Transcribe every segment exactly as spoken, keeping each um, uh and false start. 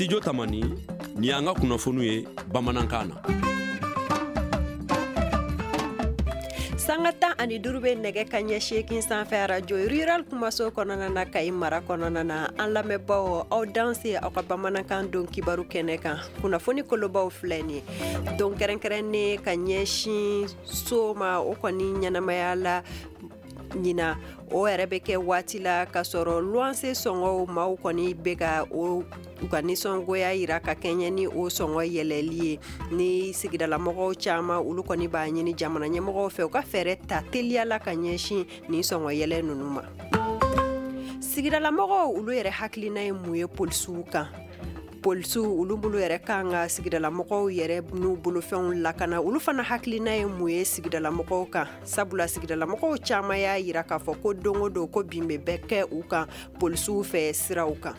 Studio Tamani, ni y'an ka kunnafoniw ye bamanankan na. Sanga tan ani duuru bɛ nɛgɛ ka ɲɛ seegin sanfɛ arajo rural kumaso kɔnɔna na Kayi mara kɔnɔna na. An lamɛnbaaw, aw danse aw ka bamanankan don kibaru kɛnɛ kan. Kunnafoni kolobaw filɛ nin ye. Don kɛrɛnkɛrɛnnen ka ɲɛsin so ma, o kɔni ɲɛnamaya la ɲina, o yɛrɛ bɛ kɛ waati la k'a sɔrɔ luwanse sɔngɔw maaw kɔni bɛ ka o u ka nisɔngoya yira ka kɛɲɛ ni o sɔngɔ yɛlɛli ye. Ni sigidalamɔgɔw caman, olu kɔni b'a ɲini jamana ɲɛmɔgɔw fɛ u ka fɛɛrɛ ta teliya la ka ɲɛsin nin sɔngɔ yɛlɛ ninnu ma. Sigidalamɔgɔw olu yɛrɛ hakilina ye mun ye polisiw kan? Polisiw olu bolo yɛrɛ kan ka sigidalamɔgɔw yɛrɛ n'u bolofɛnw lakana, olu fana hakilina ye mun ye sigidalamɔgɔw kan? Sabula sigidalamɔgɔw caman y'a yira k'a fɔ ko don o don ko bin bɛ bɛɛ kɛ u kan polisiw fɛ siraw kan.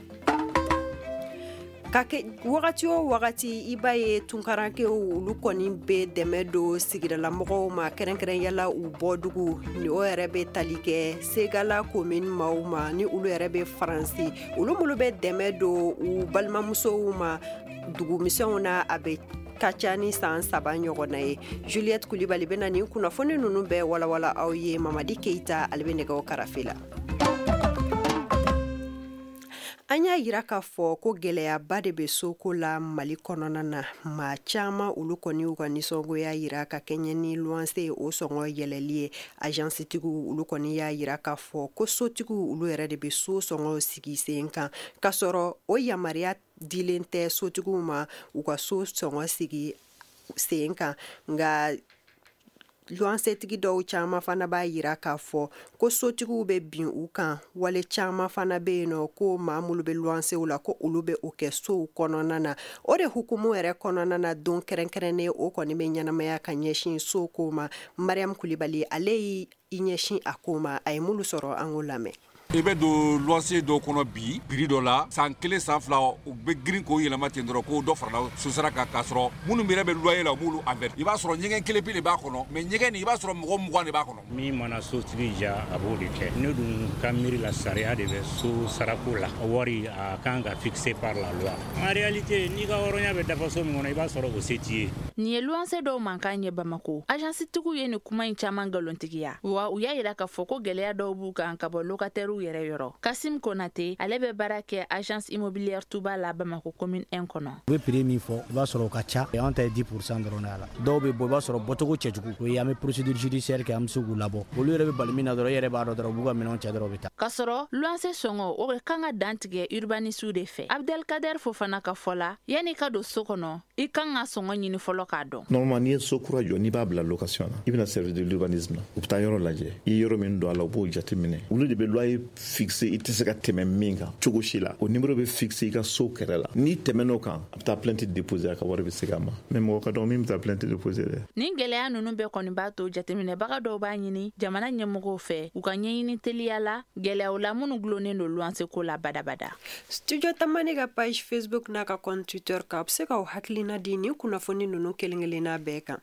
Ka kɛ wagati o wagati, i b'a ye tunkarankew olu kɔni bɛ dɛmɛ don sigidalamɔgɔw ma, kɛrɛnkɛrɛnyala u bɔdugu ni o yɛrɛ bɛ tali kɛ Segala commune maaw ma, ni olu yɛrɛ bɛ Faransi. Olu minnu bɛ dɛmɛ don u balimamusow ma dugumisɛnw na, a bɛ ka ca ni san saba ɲɔgɔnna ye. Juliette Kulibali bɛna nin kunnafoni ninnu bɛɛ walawala aw ye. Mamadi Keyita, ale bɛ nɛgɛw karafe la. An y'a yira k'a fɔ ko gɛlɛyaba de bɛ soko la Mali kɔnɔna na. Maa caman olu kɔni y'u ka nisɔngoya yira ka kɛɲɛ ni luwanse o sɔngɔ yɛlɛli ye. Agencetigiw olu kɔni y'a yira k'a fɔ ko sotigiw olu yɛrɛ de bɛ so sɔngɔ sigi sen kan, k'a sɔrɔ o yamaruya dilen tɛ sotigiw ma u ka so sɔngɔ sigi sen kan. Nka luwansetigi dɔw caman fana b'a yira k'a fɔ ko sotigiw bɛ bin u kan. Wale caman fana bɛ yen nɔ ko maa minnu bɛ luwansew la ko olu bɛ o kɛ sow kɔnɔna na. O de hukumu yɛrɛ kɔnɔna na, don kɛrɛnkɛrɛnnen o kɔni bɛ ɲɛnamaya ka ɲɛsin so ko ma. Mariam Kulibali ale y'i ɲɛsin a ko ma, a ye minnu sɔrɔ an k'o lamɛn. I bɛ don luwanse dɔw kɔnɔ bi prix dɔ la, san kelen san fila u bɛ girin k'o yɛlɛma ten dɔrɔn ko dɔ farala sosara kan, k'a sɔrɔ minnu yɛrɛ bɛ loyer la u b'olu averti. I b'a sɔrɔ ɲɛgɛn kelen pe de b'a kɔnɔ, mais ɲɛgɛn nin i b'a sɔrɔ mɔgɔ mugan de b'a kɔnɔ. Min mana sotigi ja, a b'o de kɛ. Ne dun ka miiri la, sariya de bɛ so sarako la. Wari a kan ka fixé par la loi. En réalité, n'i ka hɔrɔnya bɛ dafa so min kɔnɔ, i b'a sɔrɔ o se t'i ye. Nin ye luwanse dɔw mankan ye Bamako. Agencetigiw ye nin kuma in caman nkalontigiya, wa u y'a yira k'a fɔ ko gɛlɛya dɔw b'u kan ka bɔ locataires yɛrɛ yɔrɔ. Kasim Konate, ale bɛ baara kɛ agence immobilière Touba la Bamako commune un kɔnɔ. U bɛ prix min fɔ, i b'a sɔrɔ o ka ca. An ta ye dix pour cent dɔrɔn de a la. Dɔw bɛ bɔ, i b'a sɔrɔ bɔcogo cɛjugu. O ye an bɛ procédure judiciaire kɛ, an bɛ se k'u labɔ. Olu yɛrɛ bɛ bali min na dɔrɔn, e yɛrɛ b'a dɔn dɔrɔn u b'u ka minɛnw cɛ dɔrɔn u bɛ taa. K'a sɔrɔ luwanse sɔngɔ o kan ka dantigɛ urbanistes de fɛ. Abdelkader Fofana ka fɔ la, yanni ka don so kɔnɔ, i kan ka sɔngɔ ɲini fɔlɔ k'a dɔn. Normalement, n'i ye so kura jɔ, n'i b'a bila location na, i bɛna service de l'urbanisme na, u bɛ taa yɔrɔ lajɛ. I ye yɔrɔ min don a la, u b'o jateminɛ. Olu de bɛ loyer fixé, i tɛ se ka tɛmɛ min kan cogo si la. O numéro bɛ fixé i ka so kɛrɛ la. N'i tɛmɛn'o kan, a bɛ taa plainte déposer, a ka wari bɛ segin a ma. Mais mɔgɔ ka dɔgɔ min bɛ taa plainte déposer dɛ. Nin gɛlɛya ninnu bɛɛ kɔni b'a to jateminɛbaga dɔw b'a ɲini jamana ɲɛmɔgɔw fɛ u ka ɲɛɲini teliya la gɛlɛyaw la minnu gulonnen don luwanse ko la badabada. Studio Tamani ka page Facebook n'a ka compte Twitter kan, a bɛ se k'aw hakilina di nin kunnafoni ninnu kelen kelenna bɛɛ kan.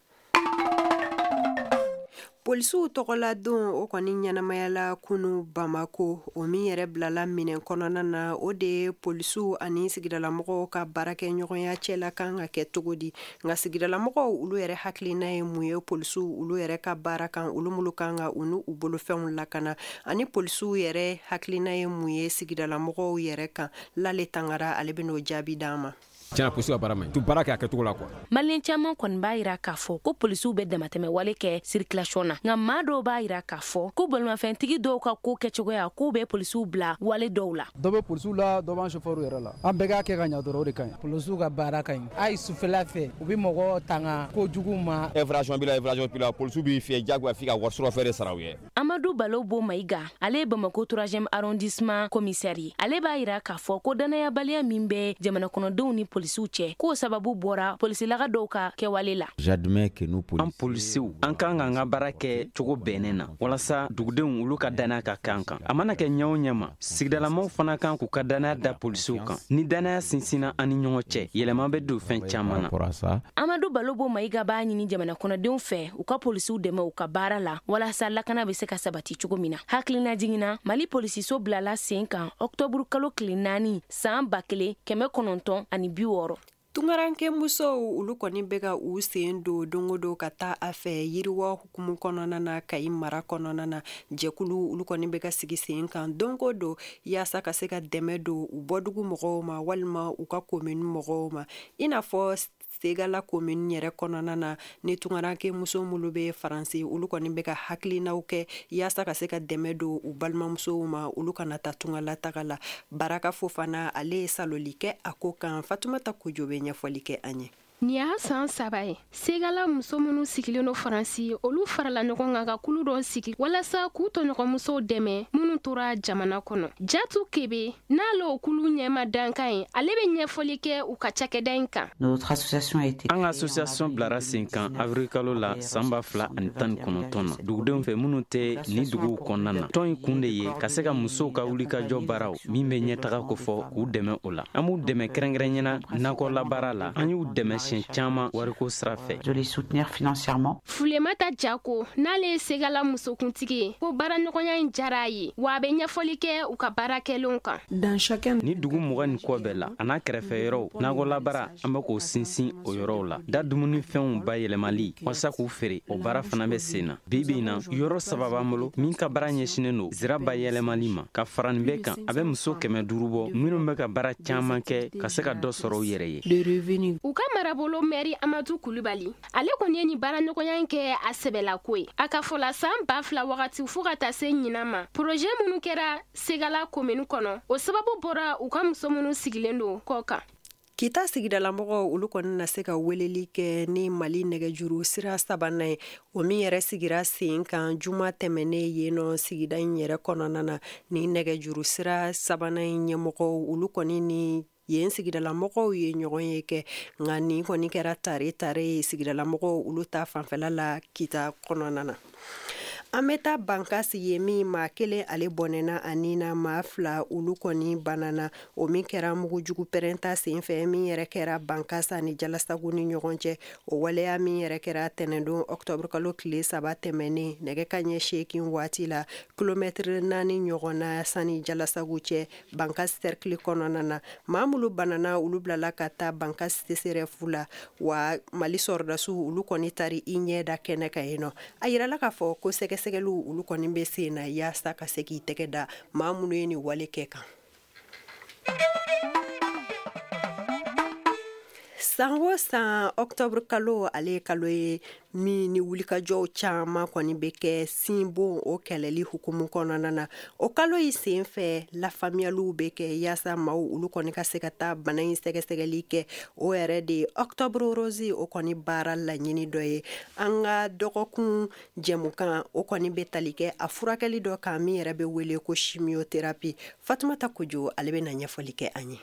Polisiw tɔgɔla don o kɔni ɲɛnamayala kunu Bamako, o min yɛrɛ bilala minɛn kɔnɔna na, o de ye polisiw ani sigidalamɔgɔw ka baarakɛɲɔgɔnya cɛla kan ka kɛ cogo di. Nka sigidalamɔgɔw olu yɛrɛ hakilina ye mun ye polisiw olu yɛrɛ ka baara kan, olu minnu kan ka u n'u bolofɛnw lakana, ani polisiw yɛrɛ hakilina ye mun ye sigidalamɔgɔw yɛrɛ kan. Lale Tangara ale bɛ n'o jaabi d'an ma. Tiɲɛna polisiw ka baara man ɲi, tu baara kɛ a kɛcogo la quoi. Maliyɛn caman kɔni b'a yira k'a fɔ ko polisiw bɛ damatɛmɛ wale kɛ circulation na, nka maa dɔw b'a yira k'a fɔ ko bolimafɛntigi dɔw ka ko kɛcogoya k'u bɛ polisiw bila wale dɔw la. Dɔ bɛ polisiw la, dɔ b'an chauffeur yɛrɛ la. An bɛɛ k'a kɛ ka ɲa dɔrɔn, o de ka ɲi. Polisiw ka baara ka ɲi. Hali sufɛla fɛ, u bɛ mɔgɔw tanga kojugu ma. Infraction b'i la, infraction b'i la, polisiw b'i fiyɛ diyagoya f'i ka wari sɔrɔ fɛn de sara u ye. Amadu Balo Bo Mayiga, ale ye Bamako troisième arrondissement commissaire ye. Ale b'a yira k'a fɔ ko danayabaliya min bɛ jamana kɔnɔdenw ni polisiw cɛ, k'o sababu bɔra polisilaga dɔw ka kɛwale la. An polisiw, an kan k'an ka baara kɛ cogo bɛnnen na walasa dugudenw olu ka danaya ka kɛ an kan. A mana kɛ ɲɛ o ɲɛ ma, sigidalamaw fana kan k'u ka danaya da polisiw kan. Ni danaya sinsinna an ni ɲɔgɔn cɛ, yɛlɛma bɛ don fɛn caman na. Amadu Balo Bo Mayiga b'a ɲini jamana kɔnɔdenw fɛ u ka polisiw dɛmɛ u ka baara la walasa lakana bɛ se ka sabati cogo min na. Hakilina jiginna, Mali polisiso bilala sen kan ɔkutɔburu kalo tile naani san ba kelen kɛmɛ kɔnɔntɔn ani bi wɔɔrɔ. Tungaranke musow olu kɔni bɛ ka u sen don don o don ka taa a fɛ yiriwa hukumu kɔnɔna na Kayi mara kɔnɔna na. Jɛkulu olu kɔni bɛ ka sigi sen kan don o don yaasa ka se ka dɛmɛ don u bɔdugu mɔgɔw ma walima u ka komini mɔgɔw ma, i n'a fɔ Segala komini yɛrɛ kɔnɔna na ni tungaranke muso minnu bɛ Faransi, olu kɔni bɛ ka hakilinaw kɛ yaasa ka se ka dɛmɛ don u balimamusow ma, olu kana taa tungalataga la. Baraka Fofana ale ye saloli kɛ a ko kan. Fatumata Kojo bɛ ɲɛfɔli kɛ an ye. Nin y'a san saba ye, Segala muso minnu sigilen don Faransi, olu farala ɲɔgɔn kan ka kulu dɔ sigi walasa k'u tɔɲɔgɔnmusow dɛmɛ minnu tora jamana kɔnɔ. Jatu Kebe, n'ale o kulu ɲɛma dankan ye, ale bɛ ɲɛfɔli kɛ u ka cakɛda in kan. An ka association bilara sen kan avril kalo la san ba fila ani tan ni kɔnɔntɔn na, dugudenw fɛ minnu tɛ ni duguw kɔnɔna na. Tɔn in kun de ye ka se ka musow ka wulikajɔ baaraw min bɛ ɲɛtaga kofɔ k'u dɛmɛ o la. An b'u dɛmɛ kɛrɛnkɛrɛnyana nakɔlabaara la, an y'u dɛmɛ caman wariko sira fɛ. Fulemata Jako, n'ale ye Segala musokuntigi ye, ko baaraɲɔgɔnya in diyara a ye, wa a bɛ ɲɛfɔli kɛ u ka baara kɛlenw kan. Ni dugu mugan ni kɔ bɛɛ la a n'a kɛrɛfɛ yɔrɔw, nakɔlabaara an bɛ k'o sinsin o yɔrɔw la. Da dumunifɛnw bayɛlɛmali walasa k'u feere, o baara fana bɛ sen na. Bi bi in na, yɔrɔ saba b'an bolo min ka baara ɲɛsinnen don zira bayɛlɛmali ma. Ka fara nin bɛɛ kan, a bɛ muso kɛmɛ duuru bɔ minnu bɛ ka baara caman kɛ ka se ka dɔ sɔrɔ u yɛrɛ ye. U ka marabolo mɛri Amadu Kulubali, ale kɔni ye nin baaraɲɔgɔnya in kɛ a sɛbɛlako ye. A ka fɔ la, san ba fila wagati fo ka taa se ɲinan ma, projet minnu kɛra Segala komini kɔnɔ, o sababu bɔra u ka muso minnu sigilen don kɔ kan. Kita sigidalamɔgɔw olu kɔni na se ka weleli kɛ ni Mali nɛgɛjuru sira sabanan ye, o min yɛrɛ sigira sen kan juma tɛmɛnen yen nɔ sigida in yɛrɛ kɔnɔna na. Ni nɛgɛjuru sira sabanan in ɲɛmɔgɔw olu kɔni ni yen sigidalamɔgɔw ye ɲɔgɔn ye kɛ, nka nin kɔni kɛra tare tare ye sigidalamɔgɔw olu ta fanfɛla la Kita kɔnɔna na. An bɛ taa Bankasi ye min maa kelen ale bɔnɛna ani na maa fila olu kɔni banana, o min kɛra mugujugu pɛrɛnta senfɛ min yɛrɛ kɛra Bankasa ni Jalasagu ni ɲɔgɔn cɛ. O waleya min yɛrɛ kɛra tɛnɛndon ɔkutɔburu kalo tile saba tɛmɛnen nɛgɛ kanɲɛ seegin waati la, kilomɛtiri naani ɲɔgɔn na sani Jalasagu cɛ Bankasi sɛrikili kɔnɔna na. Maa minnu banana olu bilala ka taa Bankasi C S R F la, wa Mali sɔrɔdasiw olu kɔni taari i ɲɛ da kɛnɛ kan yen nɔ. A yirala k'a fɔ ko sɛgɛ sɛgɛliw olu kɔni bɛ sen na yaasa ka se k'i tɛgɛ da maa minnu ye nin wale kɛ kan. San o san ɔkutɔburu kalo ale ye kalo ye min ni wulikajɔw caman kɔni bɛ kɛ sinbon o kɛlɛli hukumu kɔnɔna na. O kalo in sen fɛ lafaamuyaliw bɛ kɛ yaasa maaw olu kɔni ka se ka taa bana in sɛgɛsɛgɛli kɛ. O yɛrɛ de ye octobre rose o kɔni baara laɲini dɔ ye. An ka dɔgɔkun jɛmukan o kɔni bɛ tali kɛ a furakɛli dɔ kan min yɛrɛ bɛ wele ko chimiothérapie. Fatumata Kojo ale bɛ na ɲɛfɔli kɛ an ye.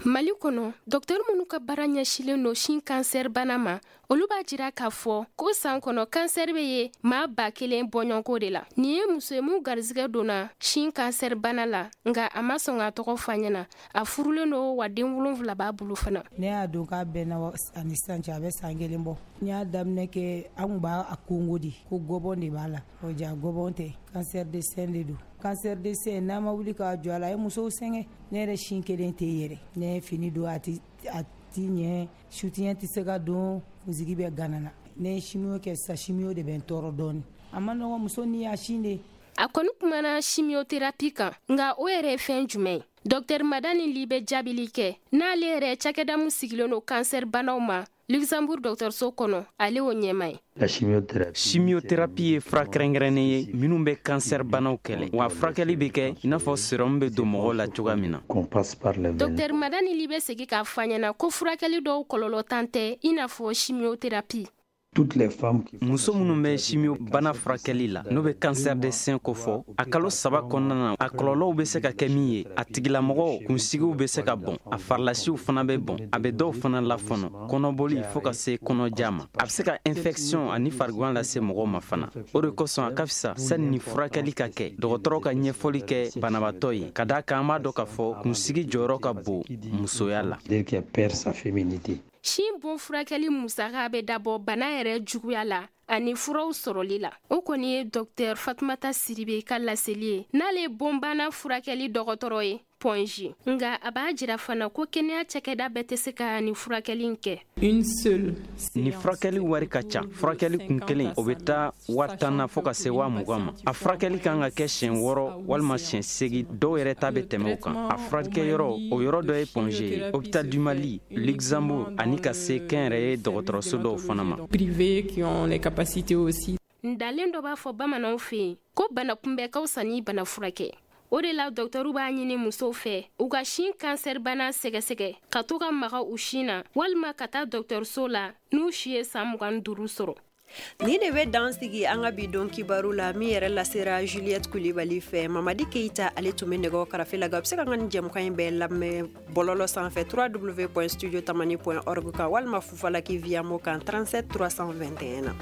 Mali kɔnɔ, dɔkitɛri minnu ka baara ɲɛsilen don sin kansɛri bana ma, olu b'a jira k'a fɔ ko san kɔnɔ kansɛri bɛ ye maa ba kelen bɔɲɔgɔnko de la. Nin ye muso ye mun garizigɛ donna sin kansɛri bana la, nka a ma sɔn k'a tɔgɔ fɔ an ɲɛna. A furulen don wa den wolonwula b'a bolo fana. Ne y'a dɔn k'a bɛnna ani sisan cɛ, a bɛ san kelen bɔ. N y'a daminɛ kɛ an kun b'a kongo de, ko gɔbɔn de b'a la. O ja gɔbɔn tɛ, cancer de sein de don. Cancer de sein n'a ma wuli k'a jɔ a la, a ye musow sɛgɛn. Ne yɛrɛ sin kelen tɛ yɛrɛ. Ne ye fini don a ti a ti ɲɛ, soutien tɛ se ka don, kunsigi bɛ gana na. Ne ye chimio kɛ sisan, chimio de bɛ n tɔɔrɔ dɔɔnin. A ma nɔgɔn, muso n'i y'a sin de. A kɔni kumana chimiothérapie kan, nka o yɛrɛ ye fɛn jumɛn ye? Docteur Madani Li bɛ jaabili kɛ, n'ale yɛrɛ cakɛda min sigilen don cancer banaw ma Luxembourg dɔgɔtɔrɔso kɔnɔ, ale y'o ɲɛmaa ye. Chimiothérapie ye fura kɛrɛnkɛrɛnnen ye minnu bɛ kansɛri banaw kɛlɛ, wa furakɛli bɛ kɛ i n'a fɔ sérum bɛ don mɔgɔw la cogoya min na. Docteur Madani Li bɛ segin k'a fɔ an ɲɛna ko furakɛli dɔw kɔlɔlɔ tan tɛ i n'a fɔ chimiothérapie. Muso minnu bɛ chimio bana furakɛli la, n'o bɛ cancer de sein kofɔ, a kalo saba kɔnɔna na, a kɔlɔlɔw bɛ se ka kɛ min ye, a tigilamɔgɔw kunsigiw bɛ se ka bɔn, a farilasiw fana bɛ bɔn, a bɛ dɔw fana lafɔnɔ, kɔnɔboli fo ka se kɔnɔja ma. A bɛ se ka infection ani farigwan lase mɔgɔw ma fana. O de kosɔn a ka fisa sani ni furakɛli ka kɛ, dɔgɔtɔrɔ ka ɲɛfɔli kɛ banabaatɔ ye, ka d'a kan an b'a dɔn k'a fɔ kunsigi jɔyɔrɔ ka bon musoya la. sin bon furakɛli musaka bɛ dabɔ bana yɛrɛ juguya la ani furaw sɔrɔli la. O kɔni ye Docteur Fatumata Sidibe ka laseli ye, n'ale ye bonbana furakɛli dɔgɔtɔrɔ ye Point G. Nka a b'a jira fana ko kɛnɛya cakɛda bɛɛ tɛ se ka nin furakɛli in kɛ. Ni furakɛli wari ka ca. Furakɛli kun kelen, o bɛ taa waa tan na fo ka se waa mugan ma. A furakɛli kan ka kɛ siɲɛ wɔɔrɔ walima siɲɛ seegin, dɔw yɛrɛ ta bɛ tɛmɛ o kan. A furakɛyɔrɔ, o yɔrɔ dɔ ye Point G ye, Hôpital du Mali, Luxembourg, ani ka se kɛnyɛrɛye dɔgɔtɔrɔso dɔw fana ma. Ntalen dɔ b'a fɔ bamananw fɛ yen ko bana kunbɛ ka fisa ni bana furakɛ. O de la dɔgɔtɔrɔw b'a ɲini musow fɛ u ka sin kansɛri bana sɛgɛsɛgɛ, ka to ka maga u sin na walima ka taa dɔgɔtɔrɔso la n'u si ye san mugan ni duuru sɔrɔ. Ni de bɛ dan sigi an ka bi don kibaru la, min yɛrɛ lasera Juliette Kulibali fɛ. Mamadi Keita, ale tun bɛ nɛgɛ karafe la. A bɛ se ka nin jɛmukan in bɛɛ lamɛn bɔlɔlɔ sanfɛ w w w point studio tamani point org kan, walima Fufalaki Via-Mo kan trente-sept trois cent vingt et un na.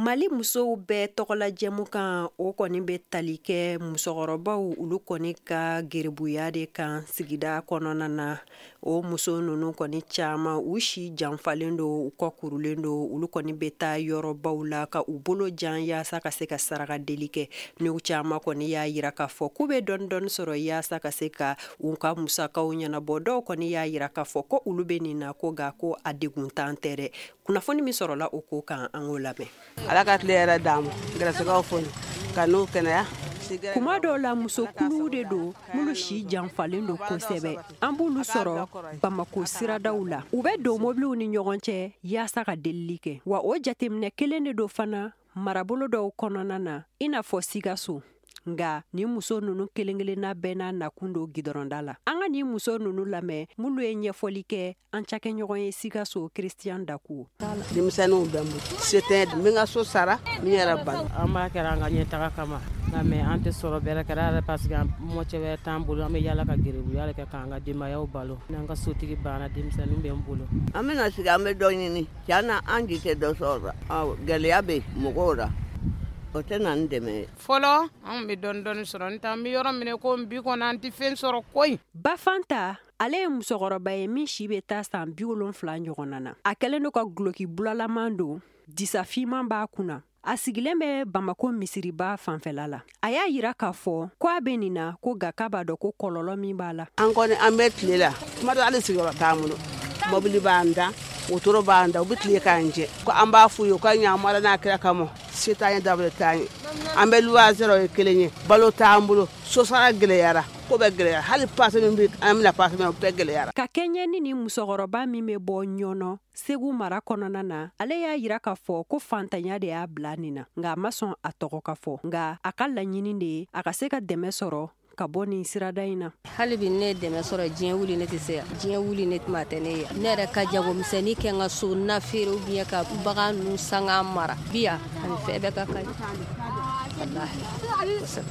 Mali musow bɛɛ tɔgɔla jɛmukan, o kɔni bɛ tali kɛ musokɔrɔbaw olu kɔni ka geribuya de kan sigida kɔnɔna na. O muso ninnu kɔni caman, u si janfalen don, u kɔ kurulen don, olu kɔni bɛ taa yɔrɔbaw la ka u bolo jan yaasa ka se ka saraka deli kɛ. N'u caman kɔni y'a yira k'a fɔ k'u bɛ dɔɔni dɔɔni sɔrɔ yaasa ka se ka u ka musakaw ɲɛnabɔ. Dɔw kɔni y'a yira k'a fɔ ko olu bɛ nin na ko nka ko a deguntan tɛ dɛ. Kunnafoni min sɔrɔla o ko kan, an k'o lamɛn. Ala ka tile yɛrɛ d'an ma, gɛrɛsɛgɛw foni ka n'u kɛnɛya. Kuma dɔw la, musokuluw de don minnu si janfalen don kosɛbɛ. An b'olu sɔrɔ Bamako siradaw la. U bɛ don mobiliw ni ɲɔgɔn cɛ yaasa ka delili kɛ. Wa o jateminɛ kelen de don fana marabolo dɔw kɔnɔna na, i n'a fɔ Sikaso. Nka nin muso ninnu kelen-kelenna bɛɛ n'a nakun don gidɔrɔnda la. An ka nin muso ninnu lamɛn minnu ye ɲɛfɔli kɛ an cakɛɲɔgɔn ye Sikaso, Christian Dakuo. Denmisɛnninw bɛ n bolo, se tɛ n bɛ n ka so sara, n yɛrɛ balo. An b'a kɛra an ka ɲɛtaga kama, nka mais an tɛ sɔrɔ bɛrɛ kɛra yɛrɛ, parce que mɔcɛ wɛrɛ t'an bolo. An bɛ yala ka gerebuya kɛ k'an ka denbayaw balo. N'an ka sotigi banna, denmisɛnninw bɛ n bolo. An bɛna sigi, an bɛ dɔ ɲini. Tiɲɛ na, an ji tɛ dɔ sɔrɔ. Gɛlɛya bɛ mɔgɔw la, o tɛ na n dɛmɛ. Fɔlɔ anw bɛ dɔɔni dɔɔni sɔrɔ, n t'an bɛ yɔrɔ minɛ ko bi kɔni an tɛ fɛn sɔrɔ koyi. Bafanta, ale ye musokɔrɔba ye min si bɛ taa san bi wolonfila ɲɔgɔnna na. A kɛlen don ka guloki bulalaman don, disa finman b'a kunna. A sigilen bɛ Bamako misiriba fanfɛla la. A y'a yira k'a fɔ ko a bɛ nin na ko nka k'a b'a dɔn ko kɔlɔlɔ min b'a la. An kɔni an bɛ tile la, tuma dɔ hali sigiyɔrɔ t'an bolo, mobili b'an da, wotoro b'an da, u bɛ tile k'an jɛ. Ko an b'a f'u ye u ka ɲa Ala n'a kira kama, se t'an ye, dabali t'an ye. An bɛ luwanse la, o ye kelen ye, balo t'an bolo, sosara gɛlɛyara, ko bɛɛ gɛlɛyara, hali paase min bɛ an bɛna paase min o bɛɛ gɛlɛyara. Ka kɛɲɛ ni nin musokɔrɔba min bɛ bɔ Ɲɔnɔ Segu mara kɔnɔna na, ale y'a yira k'a fɔ ko fantanya de y'a bila nin na, nka a ma sɔn a tɔgɔ ka fɔ. Nka a ka laɲini de ye a ka se ka dɛmɛ sɔrɔ ka bɔ nin sirada in na. Hali bi ne ye dɛmɛ sɔrɔ, diɲɛ wuli ne tɛ se yan, diɲɛ wuli ne tuma tɛ ne ye. Ne yɛrɛ ka jagomisɛnnin kɛ n ka so na feere ou bien ka bagan ninnu san k'a mara bi yan, ani fɛn bɛɛ ka kan.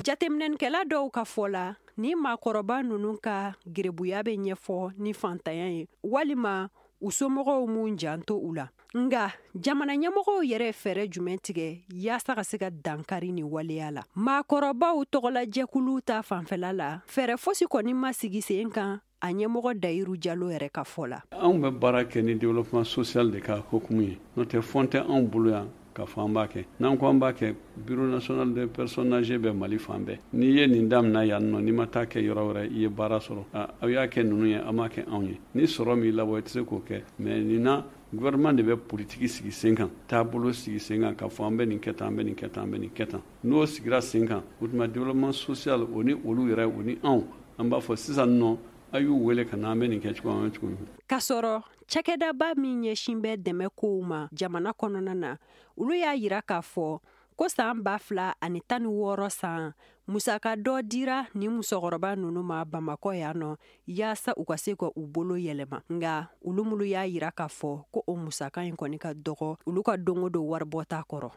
Jateminɛkɛla dɔw ka fɔ la, ni maakɔrɔba ninnu ka gerebuya bɛ ɲɛfɔ ni fantanya ye walima u somɔgɔw m'u janto u la. Nka jamana ɲɛmɔgɔw yɛrɛ fɛɛrɛ jumɛn tigɛ yaasa ka se ka dankari ni waleya la? Maakɔrɔbaw tɔgɔlajɛkulu ta fanfɛla la, fɛɛrɛ fosi kɔni ma sigi sen kan a ɲɛmɔgɔ Dayiru Jalo yɛrɛ ka fɔ la. Anw bɛ baara kɛ ni développement social de ka hukumu ye, n'o tɛ fɔn tɛ anw bolo yan k'a fɔ an b'a kɛ. N'an ko an b'a kɛ, Bureau national des personnes âgées bɛ Mali fan bɛɛ. N'i ye nin daminɛ yan nɔ, n'i ma taa kɛ yɔrɔ wɛrɛ, i ye baara sɔrɔ. Aw y'a kɛ ninnu ye, an m'a kɛ anw ye. Ni sɔrɔ m'i labɔ, i tɛ se k'o kɛ. Mais nin na, gouvernement de bɛ politique sigi sen kan, taabolo sigi sen kan, k'a fɔ an bɛ nin kɛ tan, an bɛ nin kɛ tan, an bɛ nin kɛ tan. N'o sigira sen kan, o tuma développement social o ni olu yɛrɛ o ni anw, an b'a fɔ sisan nɔ, a y'u wele ka na, an bɛ nin kɛ cogo min, an bɛ cogo min. K'a sɔrɔ cakɛdaba min ɲɛsin bɛ dɛmɛ kow ma jamana kɔnɔna na, olu y'a yira k'a fɔ ko san ba fila ani tan ni wɔɔrɔ san musaka dɔ dira ni musokɔrɔba ninnu ma Bamakɔ yan nɔ yaasa u ka se ka u bolo yɛlɛma. Nka olu minnu y'a yira k'a fɔ ko o musaka in kɔni ka dɔgɔ olu ka don o don waribɔta kɔrɔ.